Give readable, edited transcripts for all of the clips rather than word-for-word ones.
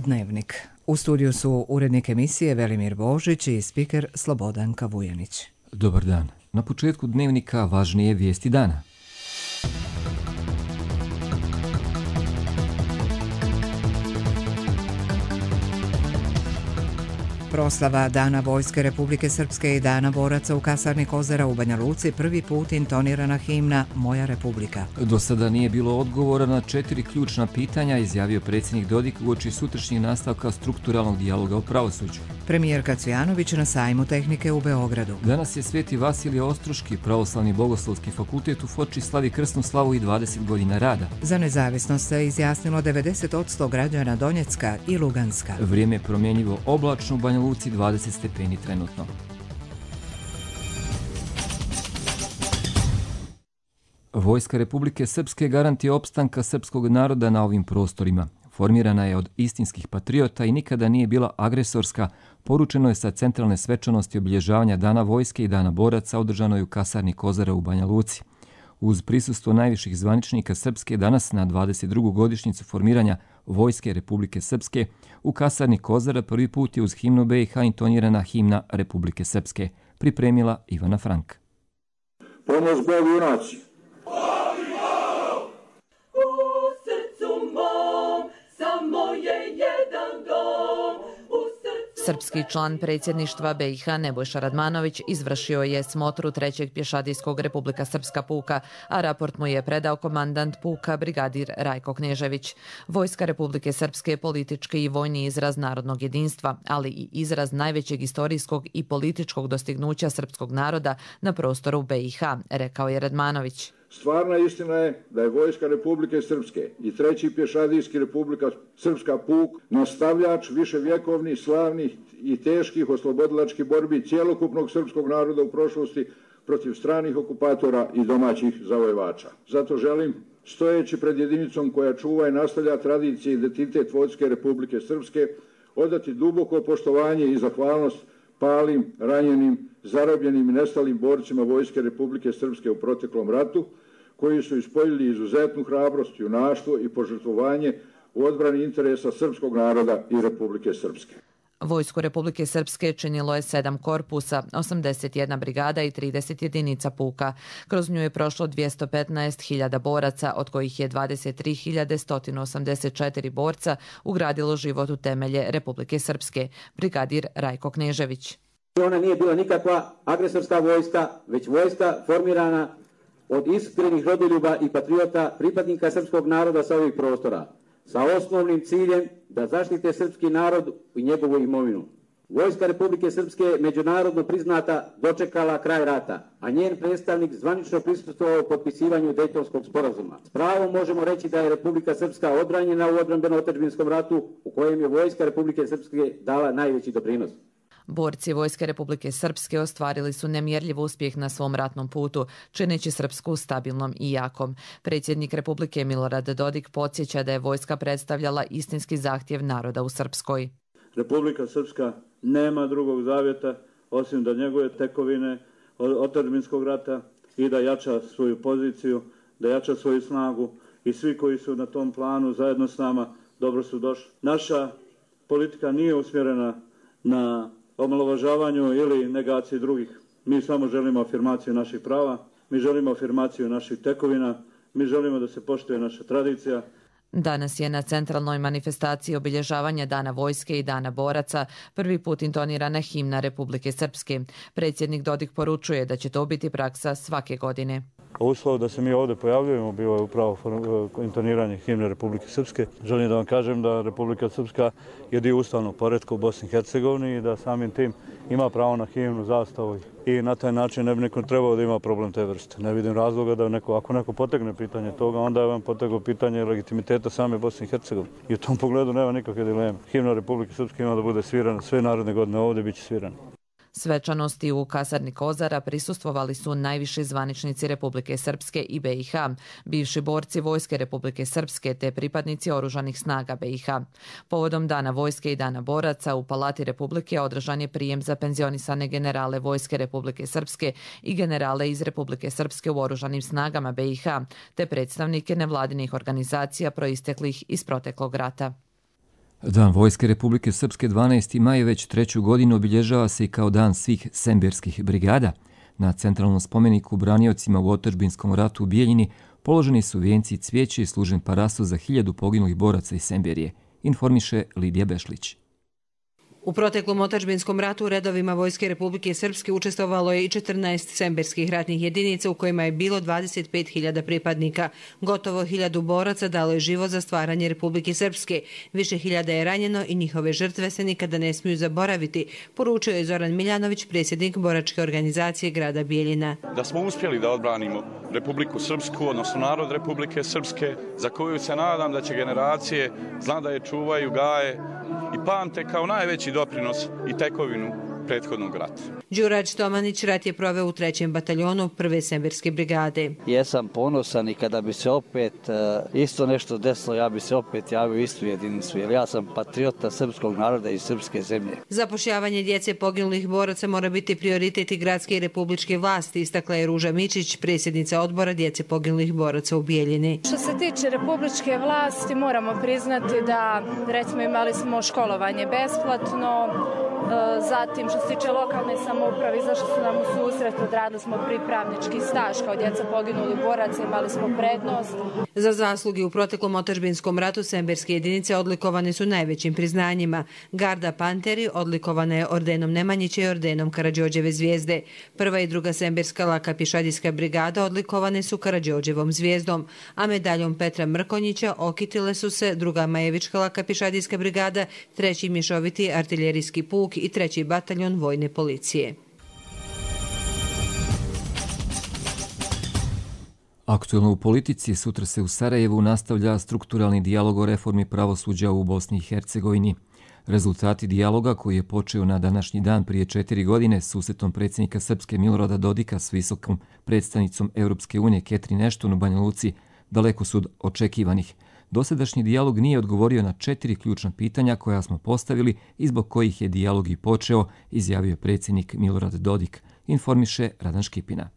Dnevnik. U studiju su urednik emisije Velimir Božić i spiker Slobodanka Vujanić. Dobar dan. Na početku Dnevnika važnije vijesti dana. Proslava Dana Vojske Republike Srpske i Dana boraca u kasarni Kozara u Banja Luci prvi put intonirana himna Moja Republika. Do sada nije bilo odgovora na 4 ključna pitanja, izjavio predsjednik Dodik uoči sutrašnjeg nastavka strukturalnog dijaloga o pravosuđu. Premijerka Cvijanović na sajmu tehnike u Beogradu. Danas je Sveti Vasilije Ostroški, pravoslavni bogoslovski fakultet u Foči slavi krsnu slavu i 20 godina rada. Za nezavisnost se izjasnilo 90% građana Donjecka i Luganska. Vrijeme je promjenjivo, oblačno, u Banja Luci 20 stepeni trenutno. Vojska Republike Srpske garant je opstanka srpskog naroda na ovim prostorima. Formirana je od istinskih patriota i nikada nije bila agresorska, poručeno je sa centralne svečanosti obilježavanja Dana Vojske i Dana boraca održanoj u kasarni Kozara u Banja Luci. Uz prisustvo najviših zvaničnika Srpske danas na 22. godišnjicu formiranja Vojske Republike Srpske u kasarni Kozara prvi put je uz himnu BiH intonirana himna Republike Srpske, pripremila Ivana Frank. Pomoć Bogu junaci! Srpski član predsjedništva BiH Nebojša Radmanović izvršio je smotru 3. pješadijskog Republika Srpska puka, a raport mu je predao komandant puka brigadir Rajko Knežević. Vojska Republike Srpske je politički i vojni izraz narodnog jedinstva, ali i izraz najvećeg istorijskog i političkog dostignuća srpskog naroda na prostoru BiH, rekao je Radmanović. Stvarna istina je da je Vojska Republike Srpske i 3. pješadijski Republika Srpska puk nastavljač viševjekovnih, slavnih i teških oslobodilačkih borbi cijelokupnog srpskog naroda u prošlosti protiv stranih okupatora i domaćih zavojevača. Zato želim, stojeći pred jedinicom koja čuva i nastavlja tradicije i identitet Vojske Republike Srpske, odati duboko poštovanje i zahvalnost palim, ranjenim, zarobljenim i nestalim borcima Vojske Republike Srpske u proteklom ratu, koji su ispoljili izuzetnu hrabrost, junaštvo i požrtvovanje u odbrani interesa srpskog naroda i Republike Srpske. Vojsku Republike Srpske činilo je 7 korpusa, 81 brigada i 30 jedinica puka. Kroz nju je prošlo 215.000 boraca, od kojih je 23.184 borca ugradilo život u temelje Republike Srpske, brigadir Rajko Knežević. Ona nije bila nikakva agresorska vojska, već vojska formirana od iskrenih rodoljuba i patriota, pripadnika srpskog naroda sa ovih prostora, sa osnovnim ciljem da zaštite srpski narod i njegovu imovinu. Vojska Republike Srpske je međunarodno priznata dočekala kraj rata, a njen predstavnik zvanično prisustvovao potpisivanju Dejtonskog sporazuma. S pravom možemo reći da je Republika Srpska odbranjena u odbrambeno-otadžbinskom ratu u kojem je Vojska Republike Srpske dala najveći doprinos. Borci Vojske Republike Srpske ostvarili su nemjerljiv uspjeh na svom ratnom putu, čineći Srpsku stabilnom i jakom. Predsjednik Republike Milorad Dodik podsjeća da je vojska predstavljala istinski zahtjev naroda u Srpskoj. Republika Srpska nema drugog zavjeta osim da njeguje tekovine otadžbinskog rata i da jača svoju poziciju, da jača svoju snagu i svi koji su na tom planu zajedno s nama dobro su došli. Naša politika nije usmjerena na omalovažavanju ili negaciji drugih. Mi samo želimo afirmaciju naših prava, mi želimo afirmaciju naših tekovina, mi želimo da se poštuje naša tradicija. Danas je na centralnoj manifestaciji obilježavanja Dana Vojske i Dana boraca prvi put intonirana himna Republike Srpske. Predsjednik Dodik poručuje da će to biti praksa svake godine. Uslov da se mi ovdje pojavljujemo bio je upravo intoniranje himne Republike Srpske. Želim da vam kažem da Republika Srpska je dio ustavnog poretka u Bosni i Hercegovini i da samim tim ima pravo na himnu, zastavu i na taj način ne bi neko trebao da ima problem te vrste. Ne vidim razloga da ako neko potegne pitanje toga, onda je vam potegao pitanje legitimiteta same Bosne i Hercegovine. I u tom pogledu nema nikakve dileme. Himna Republike Srpske ima da bude svirana sve naredne godine, ovdje bit će svirana. Svečanosti u kasarni Kozara prisustvovali su najviši zvaničnici Republike Srpske i BiH, bivši borci Vojske Republike Srpske te pripadnici oružanih snaga BiH. Povodom Dana Vojske i Dana boraca u Palati Republike održan je prijem za penzionisane generale Vojske Republike Srpske i generale iz Republike Srpske u oružanim snagama BiH, te predstavnike nevladinih organizacija proisteklih iz proteklog rata. Dan Vojske Republike Srpske 12. maj već 3. godinu obilježava se i kao dan svih semberskih brigada. Na centralnom spomeniku braniocima u otadžbinskom ratu u Bijeljini položeni su vijenci i cvijeće i služen parasu za 1000 poginulih boraca iz Semberije, informiše Lidija Bešlić. U proteklom otadžbinskom ratu u redovima Vojske Republike Srpske učestvovalo je i 14 semberskih ratnih jedinica u kojima je bilo 25.000 pripadnika. Gotovo 1000 boraca dalo je život za stvaranje Republike Srpske. Više hiljada je ranjeno i njihove žrtve se nikada ne smiju zaboraviti, poručio je Zoran Miljanović, predsjednik boračke organizacije grada Bijeljina. Da smo uspjeli da odbranimo Republiku Srpsku, odnosno narod Republike Srpske, za koju se nadam da će generacije zna da je čuvaju, gaje i pamte kao najveći doprinos i tekovinu prethodnog rata. Đurađ Tomanić rat je proveo u 3. bataljonu 1. semberske brigade. Jesam ponosan i kada bi se opet isto nešto desilo, ja bi se opet javio istu jedinicu, jer ja sam patriota srpskog naroda i srpske zemlje. Zapošljavanje djece poginulih boraca mora biti prioritet i gradske i republičke vlasti, istakla je Ruža Mičić, predsjednica odbora djece poginulih boraca u Bijeljini. Što se tiče republičke vlasti, moramo priznati da, recimo, imali smo školovanje besplatno, zatim što se tiče lokalne samouprave, izašli su nam u susret, odradili smo pripravnički staž kao djeca poginulih boraca, imali smo prednost. Za zasluge u proteklom otadžbinskom ratu semberske jedinice odlikovane su najvećim priznanjima. Garda Panteri odlikovana je ordenom Nemanjića i ordenom Karađorđeve zvijezde. 1. i 2. semberska laka pješadijska brigada odlikovane su Karađorđevom zvijezdom, a medaljom Petra Mrkonjića okitile su se 2. Majevička laka pješadijska brigada, 3. mješoviti artiljerijski puk i 3. bataljon vojne policije. Aktuelno u politici sutra se u Sarajevu nastavlja strukturalni dijalog o reformi pravosuđa u Bosni i Hercegovini. Rezultati dijaloga koji je počeo na današnji dan prije 4 godine susretom predsjednika Srpske Milorada Dodika s visokom predstavnicom Europske unije Catherine Ashton u Banja Luci daleko su od očekivanih. Dosadašnji dijalog nije odgovorio na 4 ključna pitanja koja smo postavili i zbog kojih je dijalog i počeo, izjavio predsjednik Milorad Dodik, informiše Radan Škipina.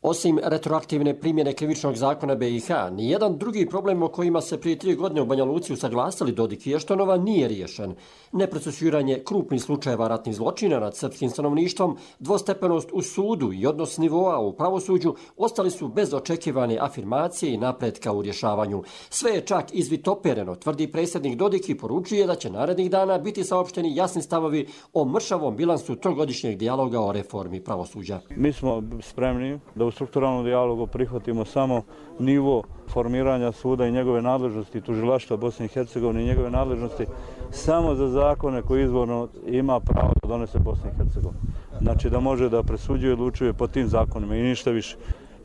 Osim retroaktivne primjene krivičnog zakona BiH, nijedan drugi problem o kojima se prije 3 godine u Banja Luci usaglasili Dodik i Eštonova nije riješen. Neprocesuiranje krupnih slučajeva ratnih zločina nad srpskim stanovništvom, dvostepenost u sudu i odnos nivoa u pravosuđu ostali su bez očekivane afirmacije i napretka u rješavanju. Sve je čak izvitopereno, tvrdi predsjednik Dodik i poručuje da će narednih dana biti saopšteni jasni stavovi o mršavom bilansu trogodišnjeg dijaloga o reformi pravosuđa. Mi smo spremni da u strukturalnom dijalogu prihvatimo samo nivo formiranja suda i njegove nadležnosti, tužilaštva Bosne i Hercegovine i njegove nadležnosti samo za zakone koje izvorno ima pravo da donese Bosna i Hercegovina. Znači da može da presuđuje i odlučuje po tim zakonima i ništa više.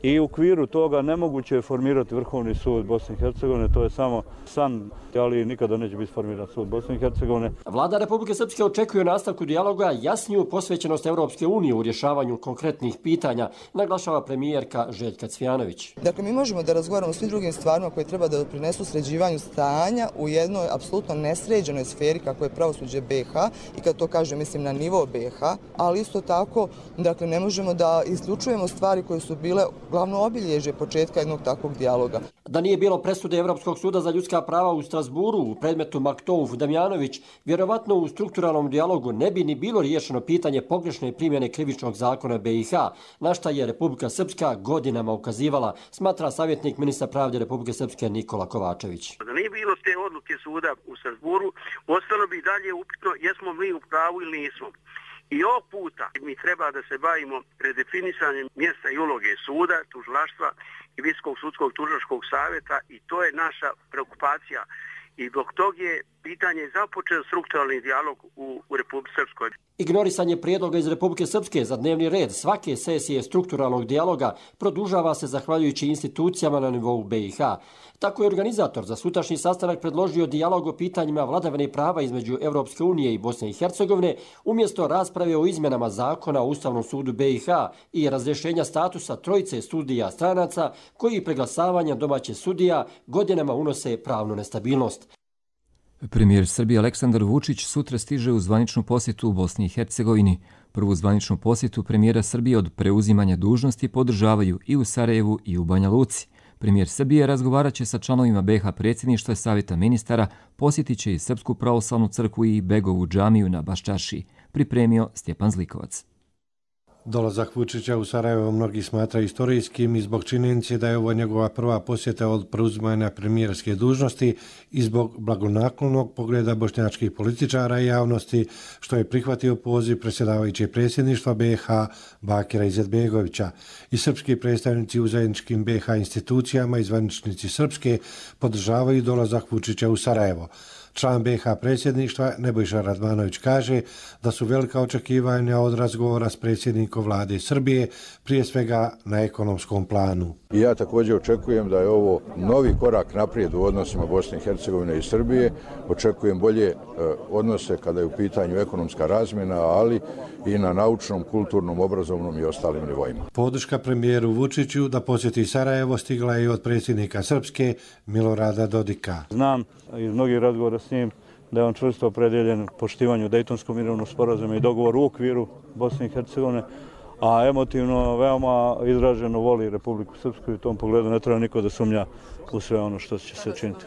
I u okviru toga nemoguće je formirati Vrhovni sud Bosne i Hercegovine, to je samo san, ali nikada neće biti formiran sud Bosne i Hercegovine. Vlada Republike Srpske očekuje u nastavku dijaloga jasniju posvećenost Europske unije u rješavanju konkretnih pitanja, naglašava premijerka Željka Cvijanović. Dakle, mi možemo da razgovaramo o svim drugim stvarima koje treba da doprinesu sređivanju stanja u jednoj apsolutno nesređenoj sferi kako je pravosuđe BiH, i kad to kažem mislim na nivo BiH, ali isto tako, dakle, ne možemo da isključujemo stvari koje su bile glavno obilježje početka jednog takvog dijaloga. Da nije bilo presude Europskog suda za ljudska prava u Strasburu u predmetu Maktouf Damjanović, vjerovatno u strukturalnom dijalogu ne bi ni bilo riješeno pitanje pogrešne primjene krivičnog zakona BiH, na šta je Republika Srpska godinama ukazivala, smatra savjetnik ministra pravde Republike Srpske Nikola Kovačević. Da nije bilo te odluke suda u Strasburu, ostalo bi dalje upitno jesmo mi u pravu ili nismo. I ovog puta mi treba da se bavimo redefinisanjem mjesta i uloge suda, tužilaštva i Visokog sudskog tužilačkog savjeta, i to je naša preokupacija. I zbog tog je pitanje započeo strukturalni dijalog u Republike Srpskoj. Ignorisanje prijedloga iz Republike Srpske za dnevni red svake sesije strukturalnog dijaloga produžava se zahvaljujući institucijama na nivou BiH. Tako je organizator za sutrašnji sastanak predložio dijalog o pitanjima vladavine prava između Europske unije i Bosne i Hercegovine umjesto rasprave o izmjenama zakona o Ustavnom sudu BiH i razrješenja statusa trojice sudija stranaca koji preglasavanjem domaćih sudija godinama unose pravnu nestabilnost. Premijer Srbije Aleksandar Vučić sutra stiže u zvaničnu posjetu u Bosni i Hercegovini. Prvu zvaničnu posjetu premijera Srbije od preuzimanja dužnosti podržavaju i u Sarajevu i u Banja Luci. Premijer Srbije razgovarat će sa članovima BiH predsjedništva i savjeta ministara, posjetit će i Srpsku pravoslavnu crkvu i Begovu džamiju na Baščaršiji, pripremio Stjepan Zlikovac. Dolazak Vučića u Sarajevo mnogi smatraju istorijskim i zbog činjenice da je ovo njegova prva posjeta od preuzimanja premijerske dužnosti i zbog blagonaklonog pogleda bošnjačkih političara i javnosti, što je prihvatio poziv predsjedavajućeg predsjedništva BiH Bakira Izetbegovića. I srpski predstavnici u zajedničkim BiH institucijama i zvaničnici srpske podržavaju dolazak Vučića u Sarajevo. Član BiH predsjedništva Nebojša Radmanović kaže da su velika očekivanja od razgovora s predsjednikom vlade Srbije, prije svega na ekonomskom planu. I ja također očekujem da je ovo novi korak naprijed u odnosima Bosne i Hercegovine i Srbije. Očekujem bolje odnose kada je u pitanju ekonomska razmjena, ali i na naučnom, kulturnom, obrazovnom i ostalim nivoima. Podrška premijeru Vučiću da posjeti Sarajevo stigla je od predsjednika Srpske Milorada Dodika. Znam iz mnogih razgovora s njim da je on čvrsto opredjeljen poštivanju Dejtonskog mirovnog sporazuma i dogovora u okviru Bosne i Hercegovine, a emotivno veoma izraženo voli Republiku Srpsku i u tom pogledu ne treba niko da sumnja u sve ono što će se učiniti.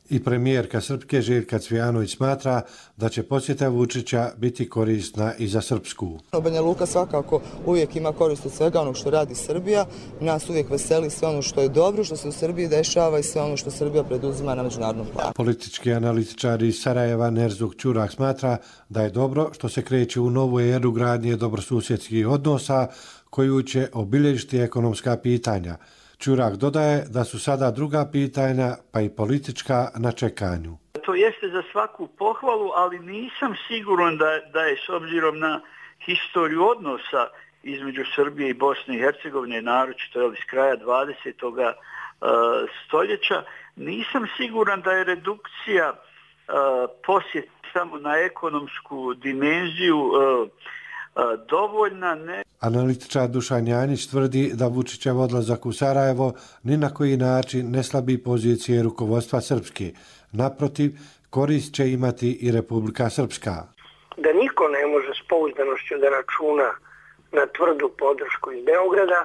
I premijerka Srpske Željka Cvijanović smatra da će posjeta Vučića biti korisna i za Srpsku. Banja Luka svakako uvijek ima korist od svega onog što radi Srbija. Nas uvijek veseli sve ono što je dobro, što se u Srbiji dešava i sve ono što Srbija preduzima na međunarodnom planu. Politički analitičar iz Sarajeva Nerzuk Ćurak smatra da je dobro što se kreće u novu eru gradnje dobrosusjedskih odnosa koju će obilježiti ekonomska pitanja. Ćurak dodaje da su sada druga pitanja, pa i politička, na čekanju. To jeste za svaku pohvalu, ali nisam siguran da je s obzirom na historiju odnosa između Srbije i Bosne i Hercegovine, naročito iz kraja 20. stoljeća, nisam siguran da je redukcija posjet samo na ekonomsku dimenziju dovoljna. Analitičar Dušan Janjić tvrdi da Vučićev odlazak u Sarajevo ni na koji način ne slabi pozicije rukovodstva Srpske. Naprotiv, korist će imati i Republika Srpska. Da niko ne može s pouzdanošću da računa na tvrdu podršku iz Beograda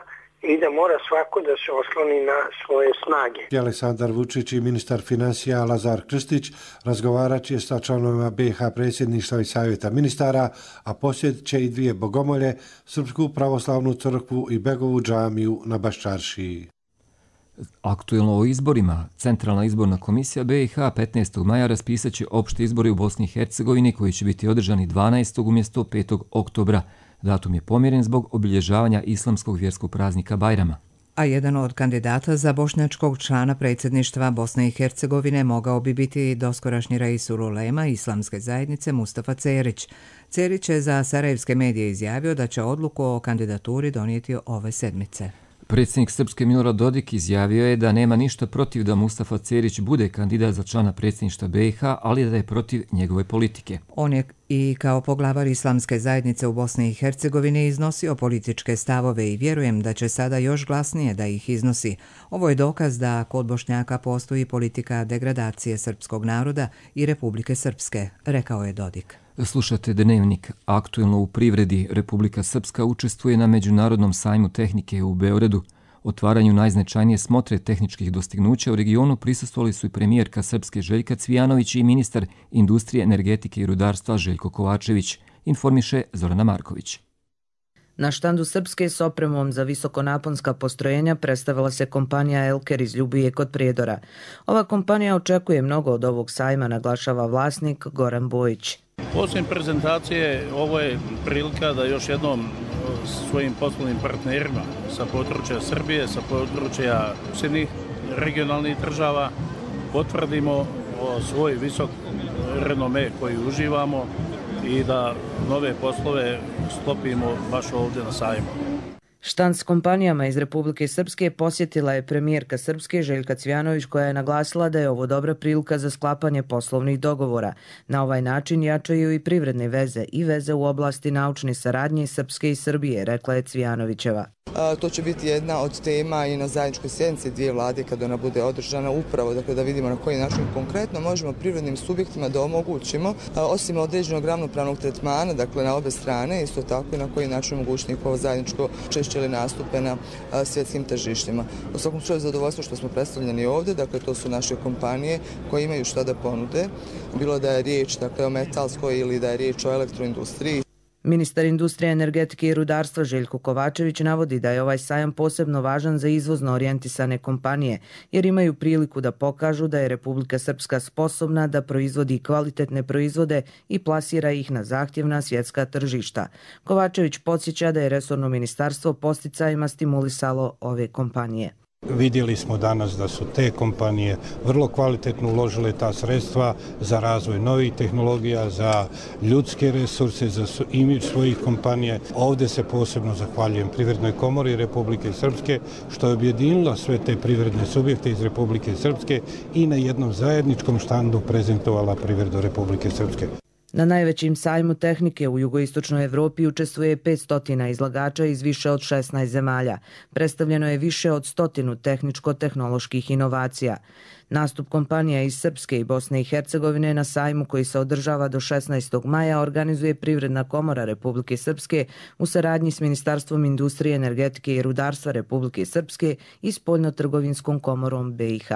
i da mora svako da se osloni na svoje snage. Aleksandar Vučić i ministar financija Lazar Krstić razgovarat će sa članovima BiH predsjedništva i savjeta ministara, a posjetit će i dvije bogomolje, Srpsku pravoslavnu crkvu i Begovu džamiju na Baščaršiji. Aktuelno o izborima, Centralna izborna komisija BiH 15. maja raspisat će opšte izbore u Bosni i Hercegovini koji će biti održani 12. umjesto 5. oktobra. Datum je pomjeren zbog obilježavanja islamskog vjerskog praznika Bajrama. A jedan od kandidata za bošnjačkog člana predsjedništva Bosne i Hercegovine mogao bi biti doskorašnji Reisul Ulema islamske zajednice Mustafa Cerić. Cerić je za sarajevske medije izjavio da će odluku o kandidaturi donijeti ove sedmice. Predsjednik Srpske Milorad Dodik izjavio je da nema ništa protiv da Mustafa Cerić bude kandidat za člana predsjedništva BiH, ali da je protiv njegove politike. On je i kao poglavar islamske zajednice u Bosni i Hercegovini iznosio političke stavove i vjerujem da će sada još glasnije da ih iznosi. Ovo je dokaz da kod Bošnjaka postoji politika degradacije srpskog naroda i Republike Srpske, rekao je Dodik. Slušate Dnevnik. Aktuelno u privredi. Republika Srpska učestvuje na Međunarodnom sajmu tehnike u Beogradu. Otvaranju najznačajnije smotre tehničkih dostignuća u regionu prisustvovali su i premijerka Srpske Željka Cvijanović i ministar industrije, energetike i rudarstva Željko Kovačević, informiše Zorana Marković. Na štandu Srpske s opremom za visokonaponska postrojenja predstavila se kompanija Elker iz Ljubije kod Prijedora. Ova kompanija očekuje mnogo od ovog sajma, naglašava vlasnik Goran Bojić. Osim prezentacije, ovo je prilika da još jednom svojim poslovnim partnerima sa područja Srbije, sa područja susjednih regionalnih država potvrdimo svoj visok renome koji uživamo i da nove poslove sklopimo baš ovdje na sajmu. Štand s kompanijama iz Republike Srpske posjetila je premijerka Srpske Željka Cvijanović koja je naglasila da je ovo dobra prilika za sklapanje poslovnih dogovora. Na ovaj način jačaju i privredne veze i veze u oblasti naučne saradnje Srpske i Srbije, rekla je Cvijanovićeva. To će biti jedna od tema i na zajedničkoj sjednici dvije vlade kada ona bude održana upravo, dakle da vidimo na koji način konkretno možemo privrednim subjektima da omogućimo, osim određenog ravnopravnog tretmana, dakle na obe strane, isto tako i na koji način omogućiti njihovo zajedničko učešće tržište ili nastupe na svjetskim tržištima. U svakom slučaju zadovoljstvo što smo predstavljeni ovdje, dakle to su naše kompanije koje imaju šta da ponude, bilo da je riječ o metalskoj ili da je riječ o elektroindustriji. Ministar industrije, energetike i rudarstva Željko Kovačević navodi da je ovaj sajam posebno važan za izvozno orijentisane kompanije, jer imaju priliku da pokažu da je Republika Srpska sposobna da proizvodi kvalitetne proizvode i plasira ih na zahtjevna svjetska tržišta. Kovačević podsjeća da je resorno ministarstvo posticajima stimulisalo ove kompanije. Vidjeli smo danas da su te kompanije vrlo kvalitetno uložile ta sredstva za razvoj novih tehnologija, za ljudske resurse, za imidž svojih kompanija. Ovdje se posebno zahvaljujem Privrednoj komori Republike Srpske što je objedinila sve te privredne subjekte iz Republike Srpske i na jednom zajedničkom štandu prezentovala privredu Republike Srpske. Na najvećim sajmu tehnike u jugoistočnoj Evropi učestvuje 500 izlagača iz više od 16 zemalja. Predstavljeno je više od 100 tehničko-tehnoloških inovacija. Nastup kompanija iz Srpske i Bosne i Hercegovine na sajmu koji se održava do 16. maja organizuje Privredna komora Republike Srpske u saradnji s Ministarstvom industrije, energetike i rudarstva Republike Srpske i Spoljnotrgovinskom komorom BiH.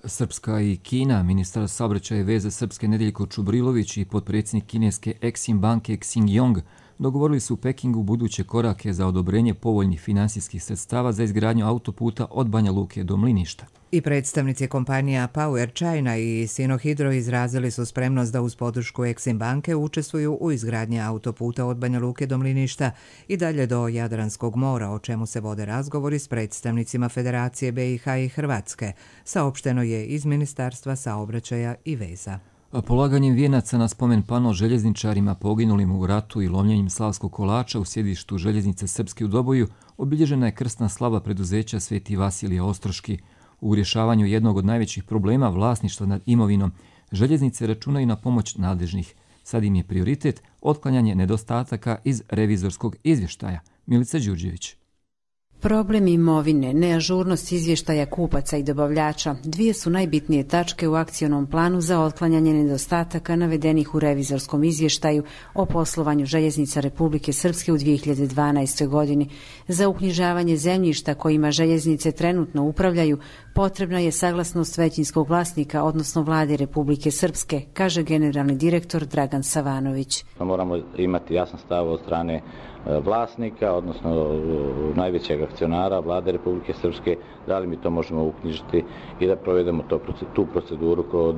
Srpska i Kina, ministar saobraćaja i veze Srpske Nedeljko Čubrilović i potpredsjednik kineske Exim banke Xing Yong dogovorili su u Pekingu buduće korake za odobrenje povoljnih finansijskih sredstava za izgradnju autoputa od Banja Luke do Mliništa. I predstavnici kompanija Power China i Sinohydro izrazili su spremnost da uz podršku Exim banke učestvuju u izgradnji autoputa od Banja Luke do Mliništa i dalje do Jadranskog mora, o čemu se vode razgovori s predstavnicima Federacije BiH i Hrvatske, saopšteno je iz Ministarstva saobraćaja i veza. Polaganjem vijenaca na spomen pano željezničarima poginulim u ratu i lomljenjem slavskog kolača u sjedištu željeznice Srpske u Doboju obilježena je krsna slava preduzeća Sveti Vasilije Ostroški. U rješavanju jednog od najvećih problema vlasništva nad imovinom, željeznice računaju na pomoć nadležnih. Sad im je prioritet otklanjanje nedostataka iz revizorskog izvještaja. Milica Đurđević. Problem imovine, neažurnost izvještaja kupaca i dobavljača dvije su najbitnije tačke u akcionom planu za otklanjanje nedostataka navedenih u revizorskom izvještaju o poslovanju željeznica Republike Srpske u 2012. godini. Za uknjižavanje zemljišta kojima željeznice trenutno upravljaju potrebna je saglasnost većinskog vlasnika, odnosno vlade Republike Srpske, kaže generalni direktor Dragan Savanović. Moramo imati jasan stav od strane vlasnika, odnosno najvećeg akcionara vlade Republike Srpske, da li mi to možemo uknjižiti i da provedemo tu proceduru kod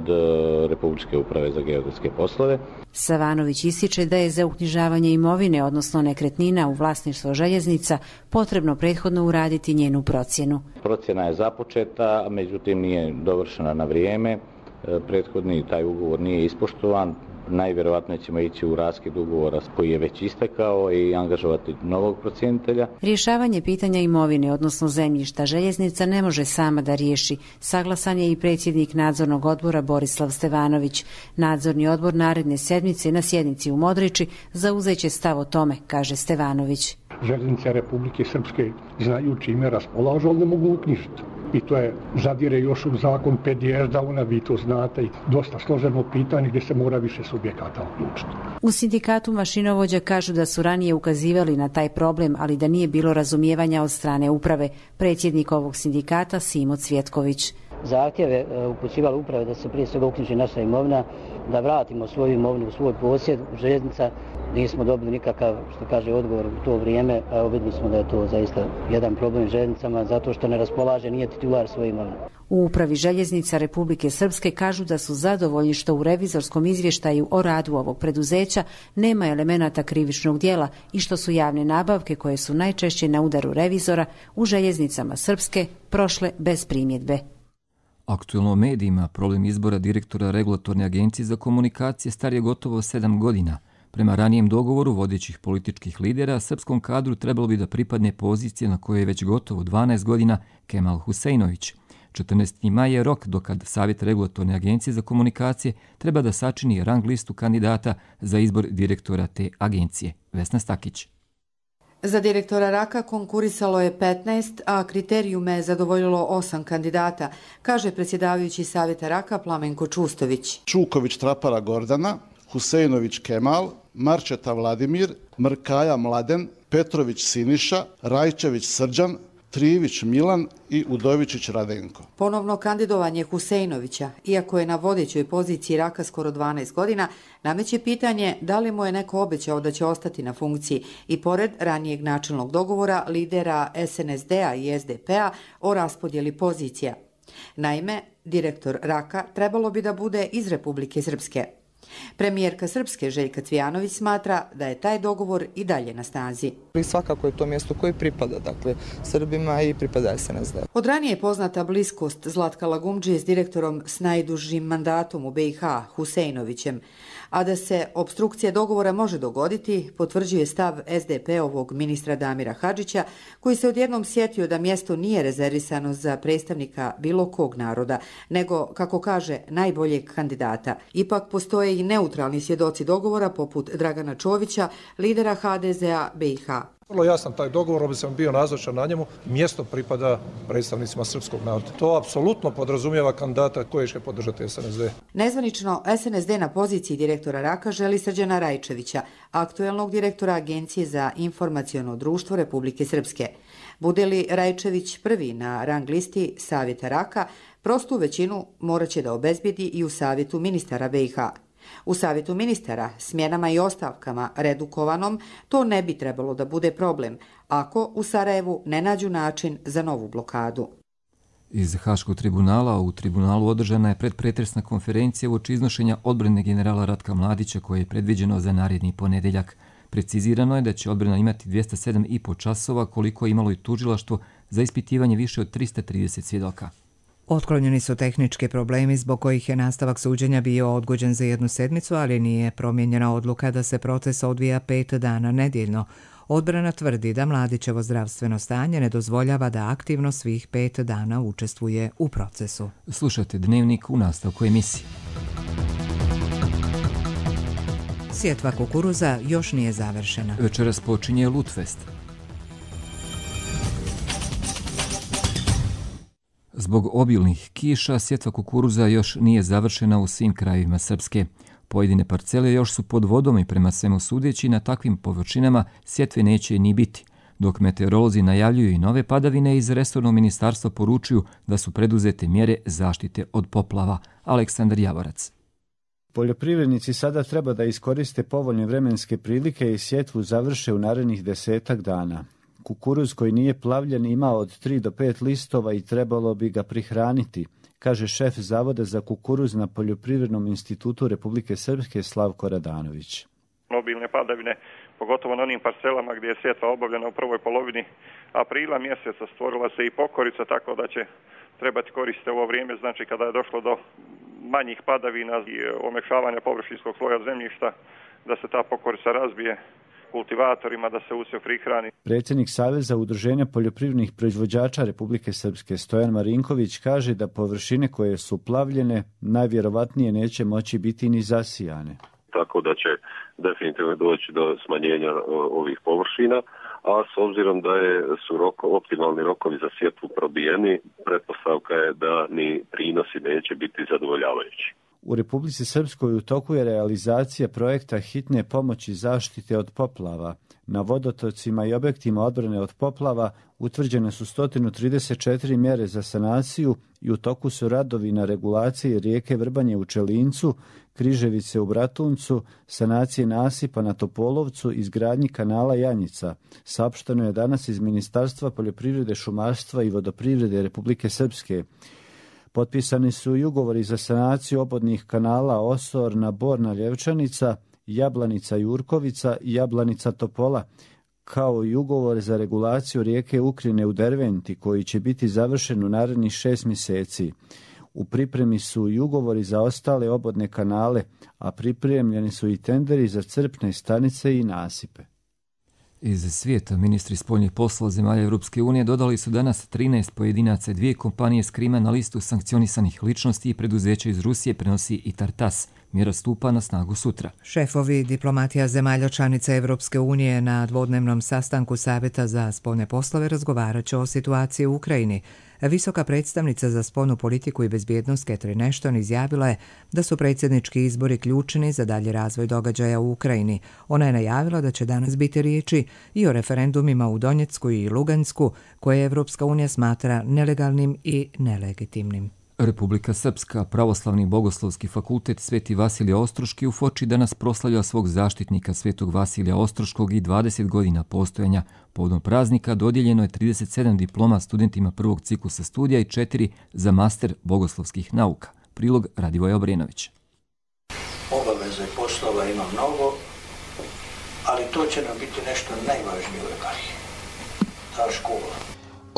Republičke uprave za geodetske poslove. Savanović ističe da je za uknjižavanje imovine, odnosno nekretnina u vlasništvo željeznica, potrebno prethodno uraditi njenu procjenu. Procjena je započeta, međutim nije dovršena na vrijeme. Prethodni taj ugovor nije ispoštovan. Najvjerovatnije ćemo ići u raskid ugovora koji je već istekao i angažovati novog procjenitelja. Rješavanje pitanja imovine, odnosno zemljišta, željeznica ne može sama da riješi. Saglasan je i predsjednik nadzornog odbora Borislav Stevanović. Nadzorni odbor naredne sedmice na sjednici u Modriči zauzeće stav o tome, kaže Stevanović. Željeznice Republike Srpske znaju čime raspolažu, ali ne mogu uknjižiti. I to je zadire još u zakon PDS-a, vi to znate, i dosta složeno pitanje gdje se mora više subjekata uključiti. U sindikatu mašinovođa kažu da su ranije ukazivali na taj problem, ali da nije bilo razumijevanja od strane uprave. Predsjednik ovog sindikata Simo Cvjetković. Zahtjeve upućivali uprave da se prije svega uknjiži naša imovina, da vratimo svoju imovinu u svoj posjed. Željeznica nismo dobili nikakav, što kaže, odgovor u to vrijeme, a vidjeli smo da je to zaista jedan problem željeznicama zato što ne raspolaže, nije titular svoje imovine. U upravi željeznica Republike Srpske kažu da su zadovoljni što u revizorskom izvještaju o radu ovog preduzeća nema elemenata krivičnog djela i što su javne nabavke, koje su najčešće na udaru revizora, u željeznicama Srpske prošle bez primjedbe. Aktuelno u medijima problem izbora direktora Regulatorne agencije za komunikacije star je gotovo 7 godina. Prema ranijem dogovoru vodećih političkih lidera, srpskom kadru trebalo bi da pripadne pozicije na kojoj je već gotovo 12 godina Kemal Huseinović. 14. maj je rok dokad Savjet Regulatorne agencije za komunikacije treba da sačini rang listu kandidata za izbor direktora te agencije. Vesna Stakić. Za direktora RAK-a konkurisalo je 15, a kriterijume je zadovoljilo 8 kandidata, kaže predsjedavajući Savjeta RAK-a Plamenko Čustović. Čuković Trapara Gordana, Huseinović Kemal, Marčeta Vladimir, Mrkaja Mladen, Petrović Siniša, Rajčević Srđan, Trivić Milan i Udovičić Radenko. Ponovno kandidovanje Huseinovića, iako je na vodećoj poziciji Raka skoro 12 godina, nameće pitanje da li mu je neko obećao da će ostati na funkciji i pored ranijeg načelnog dogovora lidera SNSD-a i SDP-a o raspodjeli pozicija. Naime, direktor Raka trebalo bi da bude iz Republike Srpske. Premijerka Srpske Željka Cvijanović smatra da je taj dogovor i dalje na snazi. Svakako je to mjesto koje pripada, dakle, Srbima i pripada SNSD. Od ranije je poznata bliskost Zlatka Lagumdžije s direktorom s najdužim mandatom u BiH, Huseinovićem, a da se obstrukcija dogovora može dogoditi, potvrđuje stav SDP-ovog ministra Damira Hadžića, koji se odjednom sjetio da mjesto nije rezervisano za predstavnika bilo kog naroda, nego, kako kaže, najboljeg kandidata. Ipak postoje i neutralni svjedoci dogovora, poput Dragana Čovića, lidera HDZ-a BiH. Vrlo jasan taj dogovor, ob sam bio nazočan na njemu, mjesto pripada predstavnicima srpskog naroda. To apsolutno podrazumijeva kandidata koji će podržati SNSD. Nezvanično, SNSD na poziciji direktora Raka želi Srđana Rajčevića, aktuelnog direktora Agencije za informaciono društvo Republike Srpske. Bude li Rajčević prvi na rang listi Savjeta Raka, prostu većinu morat će da obezbijedi i u Savjetu ministara BiH. U Savjetu ministara, smjenama i ostavkama redukovanom, to ne bi trebalo da bude problem, ako u Sarajevu ne nađu način za novu blokadu. Iz Haškog tribunala u tribunalu održana je predpretresna konferencija uoči iznošenja odbrane generala Ratka Mladića koje je predviđeno za naredni ponedeljak. Precizirano je da će odbrana imati 207,5 časova koliko je imalo i tužilaštvo za ispitivanje više od 330 svjedoka. Otklonjeni su tehnički problemi zbog kojih je nastavak suđenja bio odgođen za 1 sedmicu, ali nije promijenjena odluka da se proces odvija 5 dana nedjeljno. Odbrana tvrdi da Mladićevo zdravstveno stanje ne dozvoljava da aktivno svih 5 dana učestvuje u procesu. Slušajte Dnevnik u nastavku emisije. Sjetva kukuruza još nije završena. Večeras počinje Lutfest. Zbog obilnih kiša, sjetva kukuruza još nije završena u svim krajevima Srpske. Pojedine parcele još su pod vodom i prema svemu sudeći na takvim površinama sjetve neće ni biti. Dok meteorolozi najavljuju i nove padavine, iz resornog ministarstva poručuju da su preduzete mjere zaštite od poplava. Aleksandar Javorac. Poljoprivrednici sada treba da iskoriste povoljne vremenske prilike i sjetvu završe u narednih 10 dana. Kukuruz koji nije plavljen ima od 3 do 5 listova i trebalo bi ga prihraniti, kaže šef Zavoda za kukuruz na Poljoprivrednom institutu Republike Srpske Slavko Radanović. Obilne padavine, pogotovo na onim parcelama gdje je sjetva obavljena u prvoj polovini aprila mjeseca, stvorila se i pokorica, tako da će trebati koristiti ovo vrijeme, znači kada je došlo do manjih padavina i omekšavanja površinskog sloja zemljišta, da se ta pokorica razbije kultivatorima, da se usjev prihrani. Predsjednik Saveza udruženja poljoprivrednih proizvođača Republike Srpske Stojan Marinković kaže da površine koje su plavljene najvjerovatnije neće moći biti ni zasijane. Tako da će definitivno doći do smanjenja ovih površina, a s obzirom da su optimalni rokovi za sjetvu probijeni, pretpostavka je da ni prinosi neće biti zadovoljavajući. U Republici Srpskoj u toku je realizacija projekta hitne pomoći zaštite od poplava. Na vodotocima i objektima odbrane od poplava utvrđene su 134 mjere za sanaciju i u toku su radovi na regulaciji rijeke Vrbanje u Čelincu, Križevice u Bratuncu, sanacije nasipa na Topolovcu i izgradnji kanala Janjica. Saopšteno je danas iz Ministarstva poljoprivrede, šumarstva i vodoprivrede Republike Srpske. Potpisani su i ugovori za sanaciju obodnih kanala Osorna, Borna, Ljevčanica, Jablanica, Jurkovica i Jablanica, Topola, kao i ugovor za regulaciju rijeke Ukrine u Derventi, koji će biti završen u narednih 6 mjeseci. U pripremi su i ugovori za ostale obodne kanale, a pripremljeni su i tenderi za crpne stanice i nasipe. Iz svijeta ministri spoljnih poslova zemalja Europske unije dodali su danas 13 pojedinaca, 2 kompanije s Krima na listu sankcionisanih ličnosti i preduzeća iz Rusije, prenosi i Tartas. Mjera stupa na snagu sutra. Šefovi diplomatija zemalja članica Evropske unije na dvodnevnom sastanku Savjeta za spoljne poslove razgovarat će o situaciji u Ukrajini. Visoka predstavnica za spoljnu politiku i bezbjednost Catherine Ashton izjavila je da su predsjednički izbori ključni za dalji razvoj događaja u Ukrajini. Ona je najavila da će danas biti riječi i o referendumima u Donjecku i Lugansku, koje Evropska unija smatra nelegalnim i nelegitimnim. Republika Srpska, Pravoslavni bogoslovski fakultet Sveti Vasilije Ostroški u Foči danas proslavlja svog zaštitnika Svetog Vasilija Ostroškog i 20 godina postojanja. Povodom praznika dodijeljeno je 37 diploma studentima prvog ciklusa studija i 4 za master bogoslovskih nauka. Prilog Radivoja Obrenović. Obaveza i poslova ima mnogo, ali to će nam biti nešto najvažnije u Rekariji. Ta škola.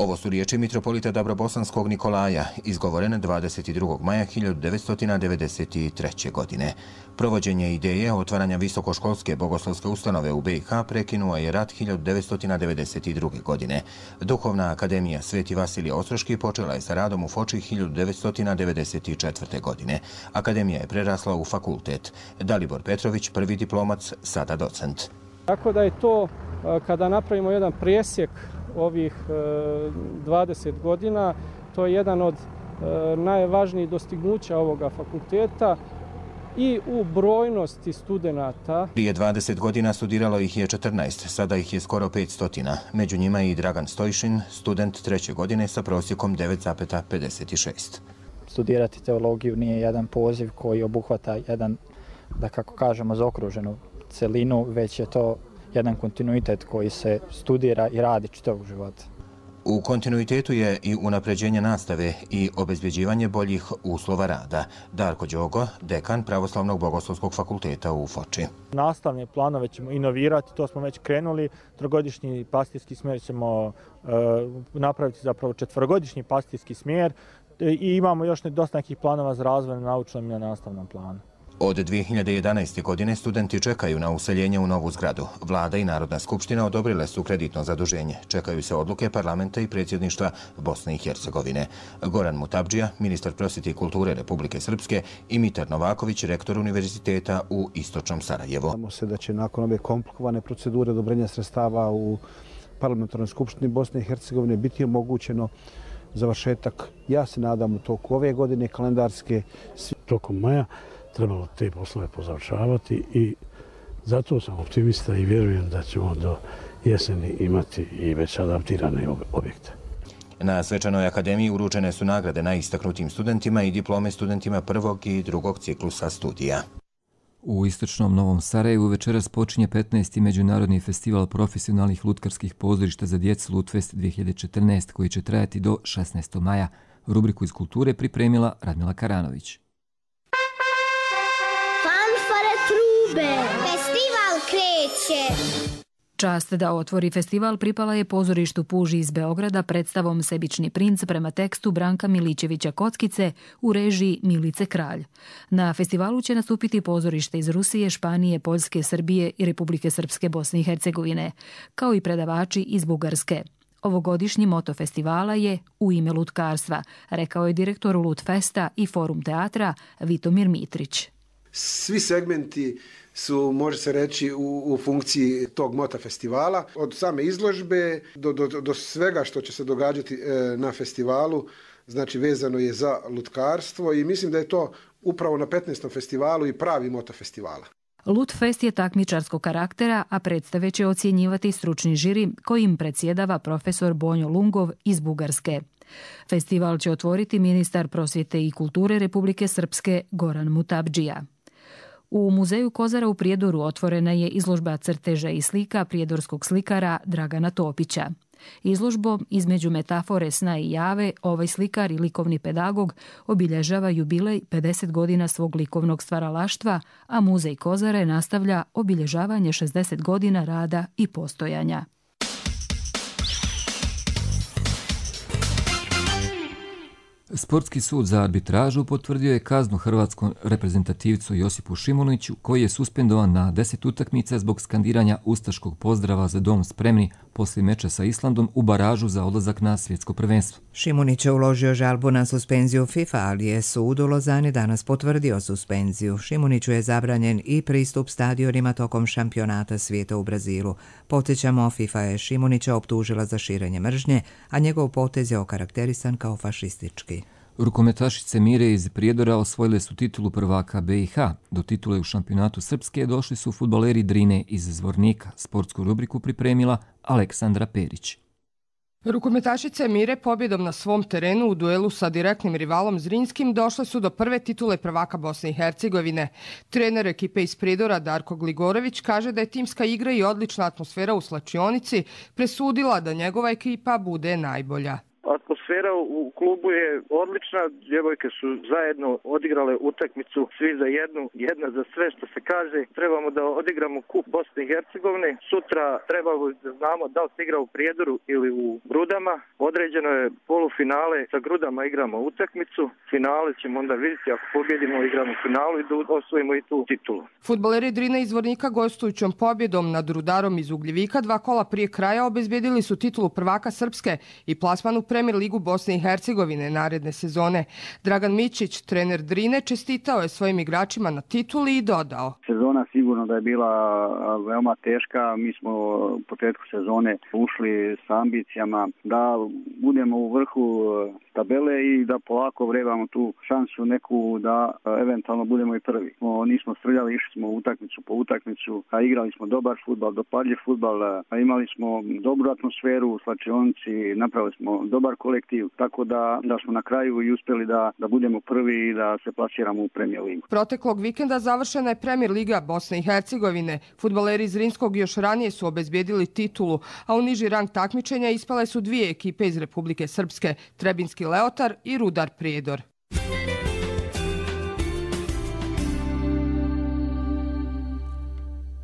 Ovo su riječi mitropolita Dabrobosanskog Nikolaja, izgovorene 22. maja 1993. godine. Provođenje ideje otvaranja visokoškolske bogoslovske ustanove u BiH prekinuo je rat 1992. godine. Duhovna akademija Sveti Vasilije Ostroški počela je sa radom u Foči 1994. godine. Akademija je prerasla u fakultet. Dalibor Petrović, prvi diplomac, sada docent. Tako da je to, kada napravimo jedan presjek ovih 20 godina, to je jedan od najvažnijih dostignuća ovoga fakulteta i u brojnosti studenata. Prije 20 godina studiralo ih je 14, sada ih je skoro 500. Među njima i Dragan Stojšin, student 3. godine sa prosjekom 9,56. Studirati teologiju nije jedan poziv koji obuhvata jedan, da kako kažemo, zaokruženu celinu, već je to jedan kontinuitet koji se studira i radi čitavog života. U kontinuitetu je i unapređenje nastave i obezbeđivanje boljih uslova rada. Darko Đogo, dekan Pravoslavnog bogoslovskog fakulteta u Foči. Nastavne planove ćemo inovirati, to smo već krenuli. Trogodišnji pastirski smjer ćemo napraviti zapravo 4-godišnji pastirski smjer i imamo još dosta nekih planova za razvoj na naučnom i na nastavnom planu. Od 2011. godine studenti čekaju na useljenje u novu zgradu. Vlada i Narodna skupština odobrile su kreditno zaduženje. Čekaju se odluke parlamenta i predsjedništva Bosne i Hercegovine. Goran Mutabdžija, ministar prosvjete i kulture Republike Srpske, i Mitar Novaković, rektor univerziteta u Istočnom Sarajevu. Nadamo se da će nakon ove komplikovane procedure odobrenja sredstava u parlamentarnoj skupštini Bosne i Hercegovine biti omogućeno završetak, ja se nadam, u toku ove godine kalendarske. Tokom maja trebalo te poslove pozavršavati i zato sam optimista i vjerujem da ćemo do jeseni imati i već adaptirane objekte. Na Svečanoj akademiji uručene su nagrade najistaknutim studentima i diplome studentima prvog i drugog ciklusa studija. U istočnom Novom Sarajevu večeras počinje 15. Međunarodni festival profesionalnih lutkarskih pozorišta za djecu Lutfest 2014 koji će trajati do 16. maja. Rubriku iz kulture pripremila Radmila Karanović. Festival kreće! Čast da otvori festival pripala je pozorištu Puži iz Beograda predstavom Sebični princ prema tekstu Branka Milićevića Kockice u režiji Milice Kralj. Na festivalu će nastupiti pozorište iz Rusije, Španije, Poljske, Srbije i Republike Srpske, Bosne i Hercegovine, kao i predavači iz Bugarske. Ovogodišnji moto festivala je U ime lutkarstva, rekao je direktor Lutfesta i Forum teatra Vitomir Mitrić. Svi segmenti su, može se reći, u funkciji tog mota festivala. Od same izložbe do svega što će se događati na festivalu, znači vezano je za lutkarstvo i mislim da je to upravo na 15. festivalu i pravi moto festivala. Lutfest je takmičarskog karaktera, a predstave će ocjenjivati stručni žiri kojim predsjedava profesor Bonjo Lungov iz Bugarske. Festival će otvoriti ministar prosvjete i kulture Republike Srpske Goran Mutabdžija. U Muzeju Kozara u Prijedoru otvorena je izložba crteža i slika prijedorskog slikara Dragana Topića. Izložbom između metafore sna i jave ovaj slikar i likovni pedagog obilježava jubilej 50 godina svog likovnog stvaralaštva, a Muzej Kozare nastavlja obilježavanje 60 godina rada i postojanja. Sportski sud za arbitražu potvrdio je kaznu hrvatskom reprezentativcu Josipu Šimuniću, koji je suspendovan na 10 utakmica zbog skandiranja ustaškog pozdrava za dom spremni poslije meča sa Islandom u baražu za odlazak na svjetsko prvenstvo. Šimunić je uložio žalbu na suspenziju FIFA, ali je sud u Lozani danas potvrdio suspenziju. Šimuniću je zabranjen i pristup stadionima tokom šampionata svijeta u Brazilu. Podsjećamo, FIFA je Šimunića optužila za širenje mržnje, a njegov potez je okarakterisan kao fašistički. Rukometašice Mire iz Prijedora osvojile su titulu prvaka BiH. Do titule u šampionatu Srpske došli su fudbaleri Drine iz Zvornika. Sportsku rubriku pripremila Aleksandra Perić. Rukometašice Mire pobjedom na svom terenu u duelu sa direktnim rivalom Zrinskim došle su do prve titule prvaka Bosne i Hercegovine. Trener ekipe iz Prijedora Darko Gligorović kaže da je timska igra i odlična atmosfera u slačionici presudila da njegova ekipa bude najbolja. Atmosfera u klubu je odlična, djevojke su zajedno odigrale utakmicu, svi za jednu, jedna za sve, što se kaže. Trebamo da odigramo kup Bosne i Hercegovine. Sutra trebamo da znamo da li se igra u Prijedoru ili u Grudama. Određeno je polufinale, sa Grudama igramo utakmicu. Finale ćemo onda vidjeti, ako pobjedimo igramo finalu i da osvojimo i tu titulu. Fudbaleri Drine iz Zvornika gostujućom pobjedom nad Rudarom iz Ugljevika 2 kola prije kraja obezbjedili su titulu prvaka Srpske i plasman u Premier ligu Bosne i Hercegovine naredne sezone. Dragan Mićić, trener Drine, čestitao je svojim igračima na tituli i dodao: Sezona sigurno da je bila veoma teška. Mi smo u početku sezone ušli sa ambicijama da budemo u vrhu tabele i da polako vrebamo tu šansu neku da eventualno budemo i prvi. Nismo strljali, išli smo utakmicu po utakmicu, a igrali smo dobar fudbal, dopadljiv fudbal, a imali smo dobru atmosferu u slačionici, napravili smo dobar kolektiv, tako da smo na kraju i uspjeli da budemo prvi i da se plasiramo u Premier ligu. Proteklog vikenda završena je Premier liga Bosne i Hercegovine. Fudbaleri iz Zrinskog još ranije su obezbjedili titulu, a u niži rang takmičenja ispale su 2 ekipe iz Republike Srpske, Trebinski Leotar i Rudar Prijedor.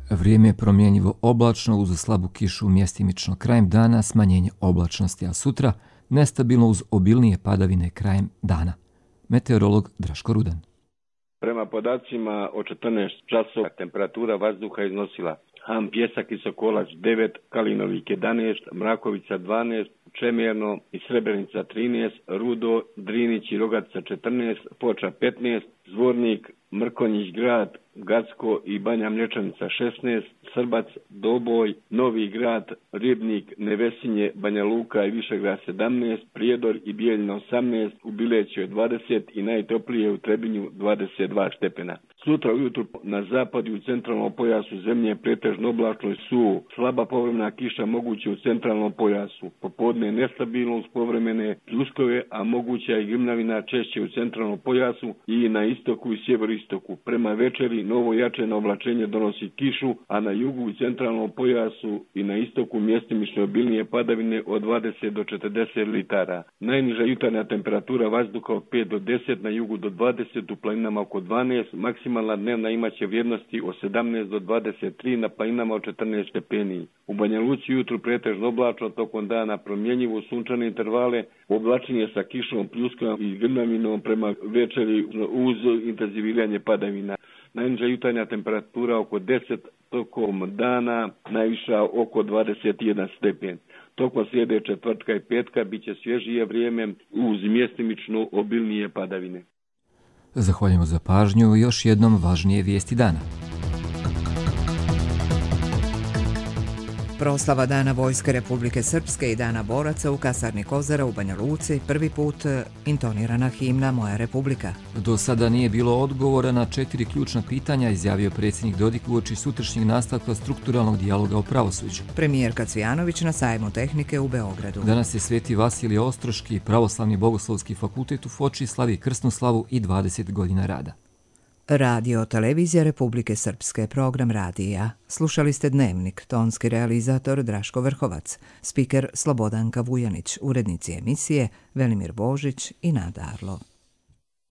Vrijeme je promjenjivo oblačno uz slabu kišu mjestimično krajem dana, smanjenje oblačnosti, a sutra nestabilno uz obilnije padavine krajem dana. Meteorolog Draško Rudan. Prema podacima o 14 časova temperatura vazduha iznosila Ham, Pjesak i Sokolac 9, Kalinovik 11, Mrakovica 12, Čemerno i Srebrenica 13, Rudo, Drinić i Rogatica 14, Foča 15, Zvornik, Mrkonjić grad, Gacko i Banja Mlječanica 16, Srbac, Doboj, Novi grad, Ribnik, Nevesinje, Banja Luka i Višegrad 17, Prijedor i Bijeljina 18, u Bileću je 20 i najtoplije u Trebinju 22 stepena. Sutra ujutru na zapadu i u centralnom pojasu zemlje je pretežno oblačno i suvo. Slaba povremena kiša moguće u centralnom pojasu. Popodne nestabilno uz povremene pljuskove, a moguća je grmljavina češće u centralnom pojasu i na istoku i sjeveristoku. Prema večeri novo jačeno oblačenje donosi kišu, a na jugu i centralnom pojasu i na istoku mjestimično obilnije padavine od 20 do 40 litara. Najniža jutarnja temperatura vazduha od 5 do 10, na jugu do 20, u planinama oko 12, maksimalna dnevna imaće vrijednosti od 17 do 23, na planinama od 14 stepeni. U Banja Luci jutru pretežno oblačno, tokom dana promjenjivo sunčane intervale, oblačenje sa kišom, pljuskom i grmljavinom, prema večeri uz intenziviranje padavina. Najniža jutarnja temperatura oko 10, tokom dana najviša oko 21 stepen. Tokom srijede, četvrtka i petka bit će svježije vrijeme uz mjestimično obilnije padavine. Zahvaljujemo za pažnju. Još jednom važnije vijesti dana. Proslava Dana Vojske Republike Srpske i Dana boraca u kasarni Kozara u Banja Luci, prvi put intonirana himna Moja Republika. Do sada nije bilo odgovora na 4 ključna pitanja, izjavio predsjednik Dodik uoči sutrašnjeg nastavka strukturalnog dijaloga o pravosuđu. Premijerka Cvijanović na sajmu tehnike u Beogradu. Danas je Sveti Vasilije Ostroški, Pravoslavni bogoslovski fakultet u Foči slavi krsnu slavu i 20 godina rada. Radio Televizija Republike Srpske, program radija. Slušali ste Dnevnik, tonski realizator Draško Vrhovac, spiker Slobodanka Vujanić, urednici emisije Velimir Božić i Nada Arlo.